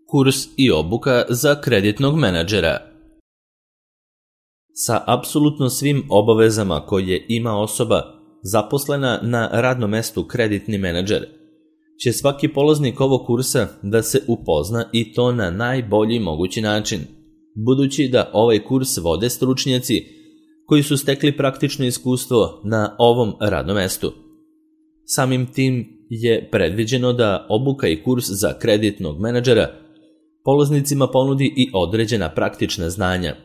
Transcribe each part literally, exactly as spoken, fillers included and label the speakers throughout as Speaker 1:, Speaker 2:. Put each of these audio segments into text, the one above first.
Speaker 1: Kurs i obuka za kreditnog menadžera. Sa apsolutno svim obavezama koje ima osoba zaposlena na radnom mestu kreditni menadžer, će svaki polaznik ovog kursa da se upozna i to na najbolji mogući način, budući da ovaj kurs vode stručnjaci koji su stekli praktično iskustvo na ovom radnom mestu. Samim tim je predviđeno da obuka i kurs za kreditnog menadžera polaznicima ponudi i određena praktična znanja,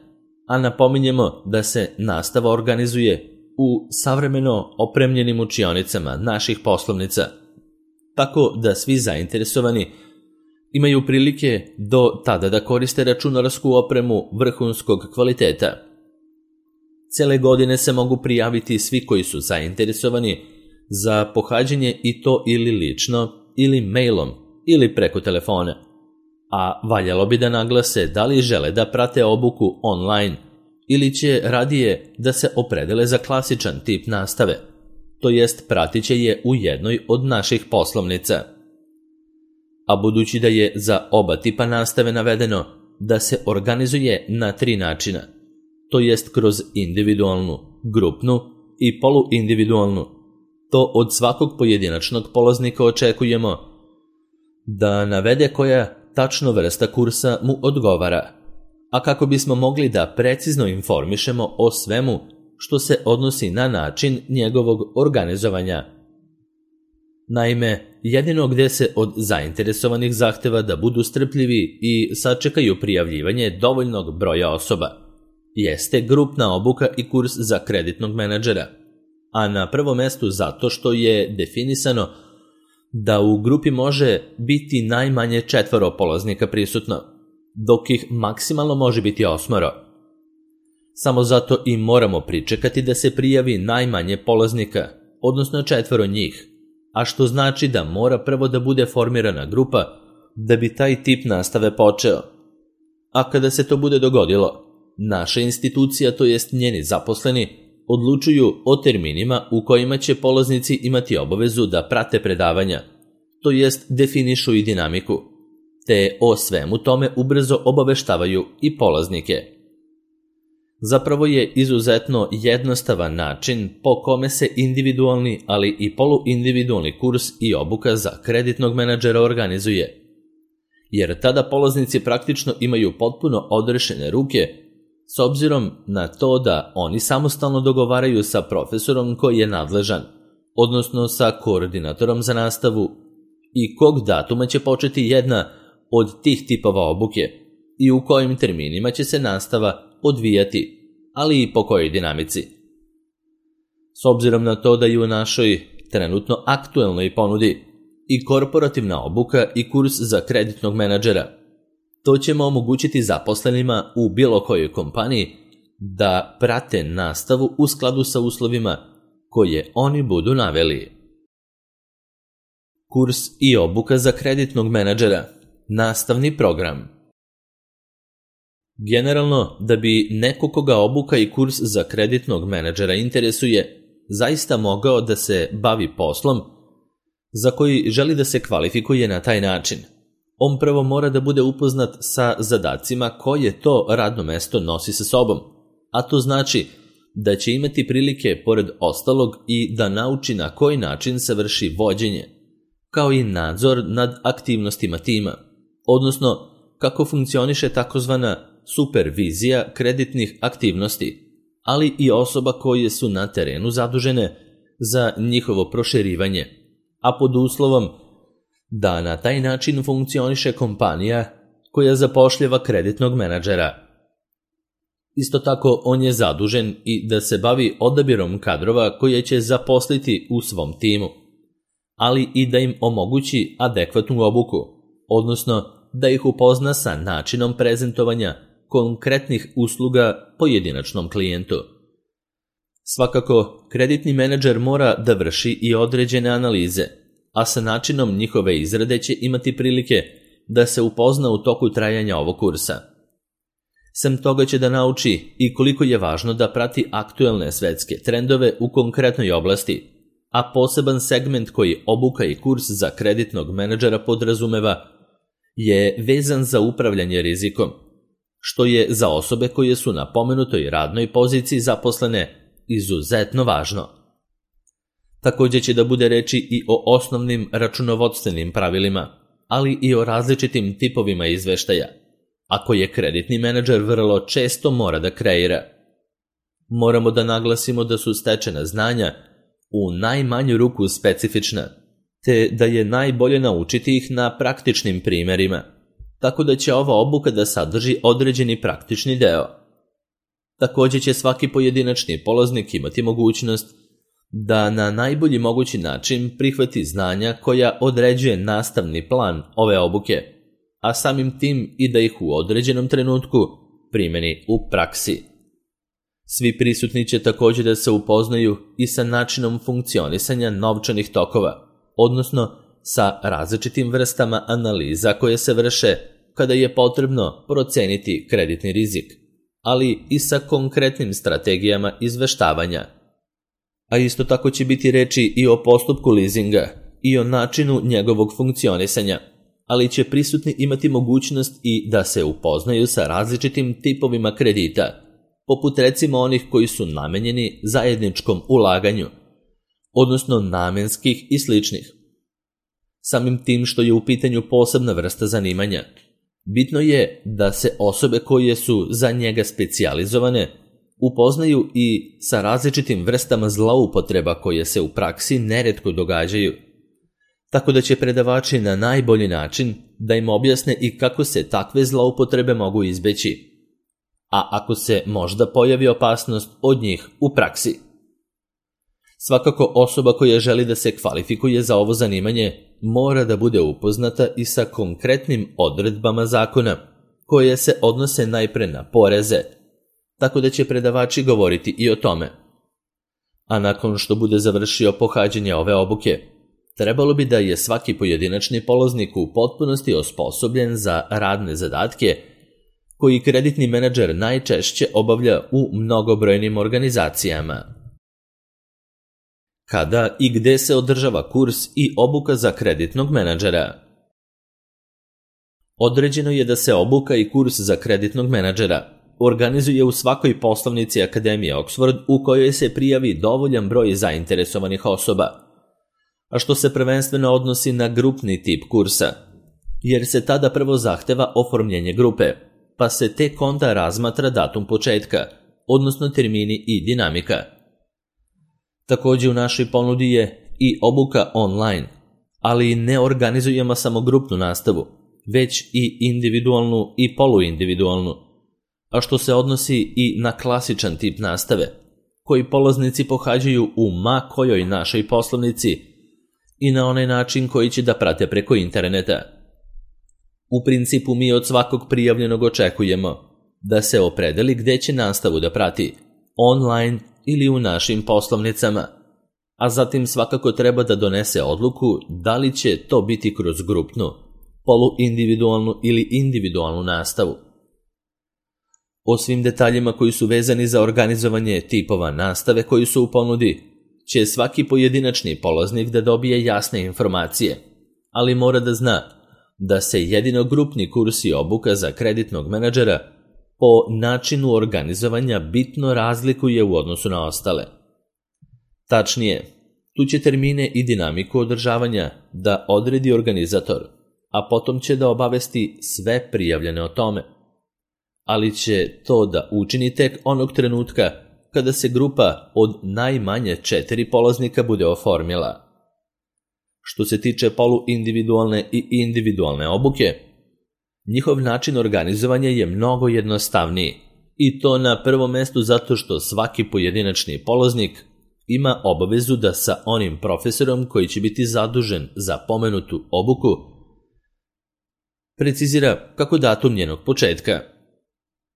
Speaker 1: a napominjemo da se nastava organizuje u savremeno opremljenim učionicama naših poslovnica, tako da svi zainteresovani imaju prilike do tada da koriste računarsku opremu vrhunskog kvaliteta. Cele godine se mogu prijaviti svi koji su zainteresovani za pohađanje i to ili lično, ili mailom, ili preko telefona. A valjalo bi da naglase da li žele da prate obuku online ili će radije da se opredele za klasičan tip nastave, to jest pratit će je u jednoj od naših poslovnica. A budući da je za oba tipa nastave navedeno da se organizuje na tri načina, to jest kroz individualnu, grupnu i poluindividualnu, to od svakog pojedinačnog polaznika očekujemo da navede koja tačno vrsta kursa mu odgovara, a kako bismo mogli da precizno informišemo o svemu što se odnosi na način njegovog organizovanja. Naime, jedino gde se od zainteresovanih zahteva da budu strpljivi i sačekaju prijavljivanje dovoljnog broja osoba, jeste grupna obuka i kurs za kreditnog menadžera, a na prvom mestu zato što je definisano da u grupi može biti najmanje četvoro polaznika prisutno, dok ih maksimalno može biti osmoro. Samo zato i moramo pričekati da se prijavi najmanje polaznika, odnosno četvoro njih, a što znači da mora prvo da bude formirana grupa da bi taj tip nastave počeo. A kada se to bude dogodilo, naša institucija, to jest njeni zaposleni, odlučuju o terminima u kojima će polaznici imati obavezu da prate predavanja, to jest definišu i dinamiku, te o svemu tome ubrzo obaveštavaju i polaznike. Zapravo je izuzetno jednostavan način po kome se individualni, ali i poluindividualni kurs i obuka za kreditnog menadžera organizuje, jer tada polaznici praktično imaju potpuno odrešene ruke s obzirom na to da oni samostalno dogovaraju sa profesorom koji je nadležan, odnosno sa koordinatorom za nastavu i kog datuma će početi jedna od tih tipova obuke i u kojim terminima će se nastava odvijati, ali i po kojoj dinamici. S obzirom na to da je u našoj trenutno aktuelnoj ponudi i korporativna obuka i kurs za kreditnog menadžera, to ćemo omogućiti zaposlenima u bilo kojoj kompaniji da prate nastavu u skladu sa uslovima koje oni budu naveli. Kurs i obuka za kreditnog menadžera. Nastavni program. Generalno, da bi neko koga obuka i kurs za kreditnog menadžera interesuje, zaista mogao da se bavi poslom za koji želi da se kvalifikuje na taj način, on prvo mora da bude upoznat sa zadacima koje to radno mesto nosi sa sobom, a to znači da će imati prilike, pored ostalog, i da nauči na koji način se vrši vođenje, kao i nadzor nad aktivnostima tima, odnosno kako funkcioniše takozvana supervizija kreditnih aktivnosti, ali i osoba koje su na terenu zadužene za njihovo proširivanje, a pod uslovom da na taj način funkcioniše kompanija koja zapošljava kreditnog menadžera. Isto tako, on je zadužen i da se bavi odabirom kadrova koje će zaposliti u svom timu, ali i da im omogući adekvatnu obuku, odnosno da ih upozna sa načinom prezentovanja konkretnih usluga pojedinačnom klijentu. Svakako, kreditni menadžer mora da vrši i određene analize, a sa načinom njihove izrade će imati prilike da se upozna u toku trajanja ovog kursa. Sem toga će da nauči i koliko je važno da prati aktuelne svetske trendove u konkretnoj oblasti, a poseban segment koji obuka i kurs za kreditnog menadžera podrazumeva je vezan za upravljanje rizikom, što je za osobe koje su na pomenutoj radnoj poziciji zaposlene izuzetno važno. Također će da bude reči i o osnovnim računovodstvenim pravilima, ali i o različitim tipovima izveštaja, a koje kreditni menadžer vrlo često mora da kreira. Moramo da naglasimo da su stečena znanja u najmanju ruku specifična, te da je najbolje naučiti ih na praktičnim primerima, tako da će ova obuka da sadrži određeni praktični deo. Također će svaki pojedinačni polaznik imati mogućnost da na najbolji mogući način prihvati znanja koja određuje nastavni plan ove obuke, a samim tim i da ih u određenom trenutku primeni u praksi. Svi prisutni će također da se upoznaju i sa načinom funkcionisanja novčanih tokova, odnosno sa različitim vrstama analiza koje se vrše kada je potrebno proceniti kreditni rizik, ali i sa konkretnim strategijama izveštavanja. A isto tako će biti reči i o postupku leasinga i o načinu njegovog funkcionisanja, ali će prisutni imati mogućnost i da se upoznaju sa različitim tipovima kredita, poput recimo onih koji su namenjeni zajedničkom ulaganju, odnosno namenskih i sličnih. Samim tim što je u pitanju posebna vrsta zanimanja, bitno je da se osobe koje su za njega specijalizovane upoznaju i sa različitim vrstama zloupotreba koje se u praksi neretko događaju, tako da će predavači na najbolji način da im objasne i kako se takve zloupotrebe mogu izbeći, a ako se možda pojavi opasnost od njih u praksi. Svakako osoba koja želi da se kvalifikuje za ovo zanimanje mora da bude upoznata i sa konkretnim odredbama zakona koje se odnose najpre na poreze, tako da će predavači govoriti i o tome. A nakon što bude završio pohađanje ove obuke, trebalo bi da je svaki pojedinačni polaznik u potpunosti osposobljen za radne zadatke koji kreditni menadžer najčešće obavlja u mnogobrojnim organizacijama. Kada i gde se održava kurs i obuka za kreditnog menadžera? Određeno je da se obuka i kurs za kreditnog menadžera organizuje u svakoj poslovnici Akademije Oxford u kojoj se prijavi dovoljan broj zainteresovanih osoba, a što se prvenstveno odnosi na grupni tip kursa, jer se tada prvo zahteva oformljenje grupe, pa se tek onda razmatra datum početka, odnosno termini i dinamika. Također u našoj ponudi je i obuka online, ali ne organizujemo samo grupnu nastavu, već i individualnu i poluindividualnu, a što se odnosi i na klasičan tip nastave, koji polaznici pohađaju u ma kojoj našoj poslovnici i na onaj način koji će da prate preko interneta. U principu mi od svakog prijavljenog očekujemo da se opredeli gde će nastavu da prati, online ili u našim poslovnicama, a zatim svakako treba da donese odluku da li će to biti kroz grupnu, poluindividualnu ili individualnu nastavu. O svim detaljima koji su vezani za organizovanje tipova nastave koji su u ponudi, će svaki pojedinačni polaznik da dobije jasne informacije, ali mora da zna da se jedino grupni kurs i obuka za kreditnog menadžera po načinu organizovanja bitno razlikuje u odnosu na ostale. Tačnije, tu će termine i dinamiku održavanja da odredi organizator, a potom će da obavesti sve prijavljene o tome. Ali će to da učini tek onog trenutka kada se grupa od najmanje četiri polaznika bude oformila. Što se tiče poluindividualne i individualne obuke, njihov način organizovanja je mnogo jednostavniji i to na prvom mestu zato što svaki pojedinačni polaznik ima obavezu da sa onim profesorom koji će biti zadužen za pomenutu obuku precizira kako datum njenog početka,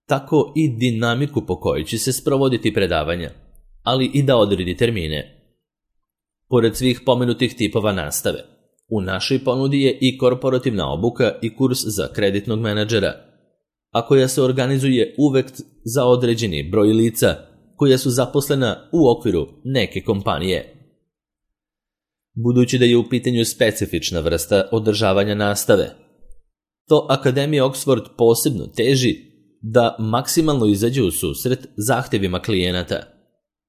Speaker 1: tako i dinamiku po kojoj će se sprovoditi predavanja, ali i da odredi termine. Pored svih pomenutih tipova nastave, u našoj ponudi je i korporativna obuka i kurs za kreditnog menadžera, a koja se organizuje uvek za određeni broj lica koja su zaposlena u okviru neke kompanije. Budući da je u pitanju specifična vrsta održavanja nastave, to Akademija Oxford posebno teži da maksimalno izađe u susret zahtjevima klijenata,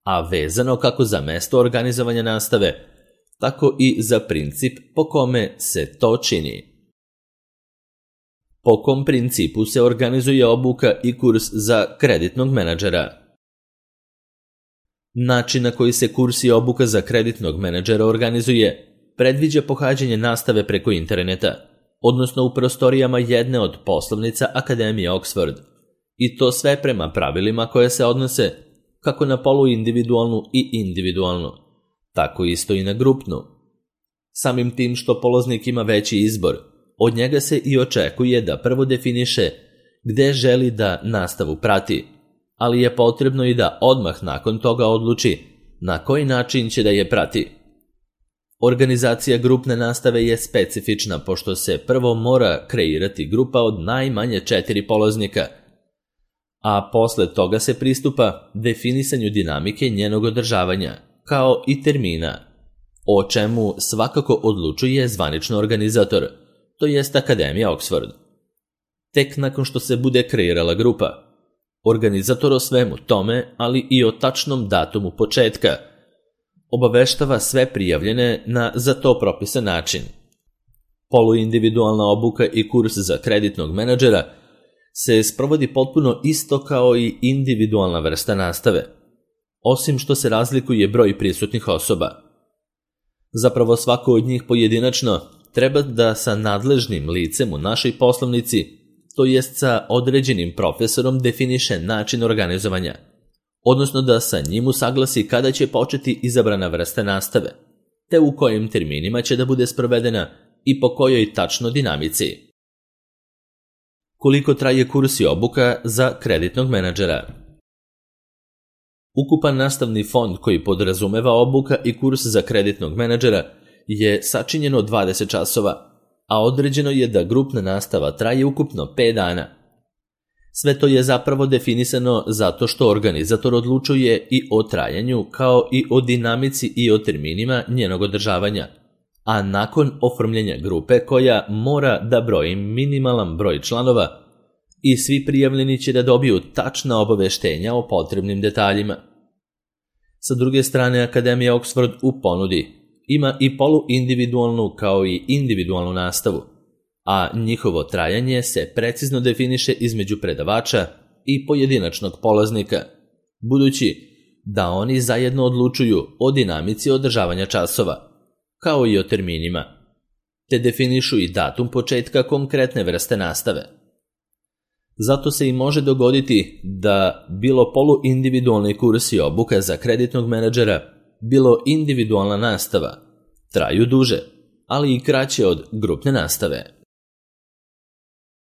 Speaker 1: a vezano kako za mesto organizovanja nastave, tako i za princip po kome se to čini. Po kom principu se organizuje obuka i kurs za kreditnog menadžera? Način na koji se kurs i obuka za kreditnog menadžera organizuje predviđa pohađanje nastave preko interneta, odnosno u prostorijama jedne od poslovnica Akademije Oxford, i to sve prema pravilima koje se odnose kako na poluindividualnu i individualnu, tako isto i na grupnu. Samim tim što polaznik ima veći izbor, od njega se i očekuje da prvo definiše gde želi da nastavu prati, ali je potrebno i da odmah nakon toga odluči na koji način će da je prati. Organizacija grupne nastave je specifična pošto se prvo mora kreirati grupa od najmanje četiri polaznika, a posle toga se pristupa definisanju dinamike njenog održavanja, kao i termina, o čemu svakako odlučuje zvanično organizator, to jest Akademija Oxford. Tek nakon što se bude kreirala grupa, organizator o svemu tome, ali i o tačnom datumu početka, obaveštava sve prijavljene na za to propisan način. Poluindividualna obuka i kurs za kreditnog menadžera se sprovodi potpuno isto kao i individualna vrsta nastave, osim što se razlikuje broj prisutnih osoba. Zapravo svako od njih pojedinačno treba da sa nadležnim licem u našoj poslovnici, to jest sa određenim profesorom, definiše način organizovanja, odnosno da sa njim usaglasi kada će početi izabrana vrsta nastave, te u kojim terminima će da bude sprovedena i po kojoj tačno dinamici. Koliko traje kurs i obuka za kreditnog menadžera? Ukupan nastavni fond koji podrazumeva obuka i kurs za kreditnog menadžera je sačinjen od dvadeset časova, a određeno je da grupna nastava traje ukupno pet dana. Sve to je zapravo definisano zato što organizator odlučuje i o trajanju kao i o dinamici i o terminima njenog održavanja, a nakon oformljenja grupe koja mora da broji minimalan broj članova i svi prijavljeni će da dobiju tačna obaveštenja o potrebnim detaljima. Sa druge strane, Akademija Oxford u ponudi ima i poluindividualnu kao i individualnu nastavu, a njihovo trajanje se precizno definiše između predavača i pojedinačnog polaznika, budući da oni zajedno odlučuju o dinamici održavanja časova, kao i o terminima, te definišu i datum početka konkretne vrste nastave. Zato se i može dogoditi da bilo poluindividualni kurs i obuka za kreditnog menadžera, bilo individualna nastava, traju duže, ali i kraće od grupne nastave.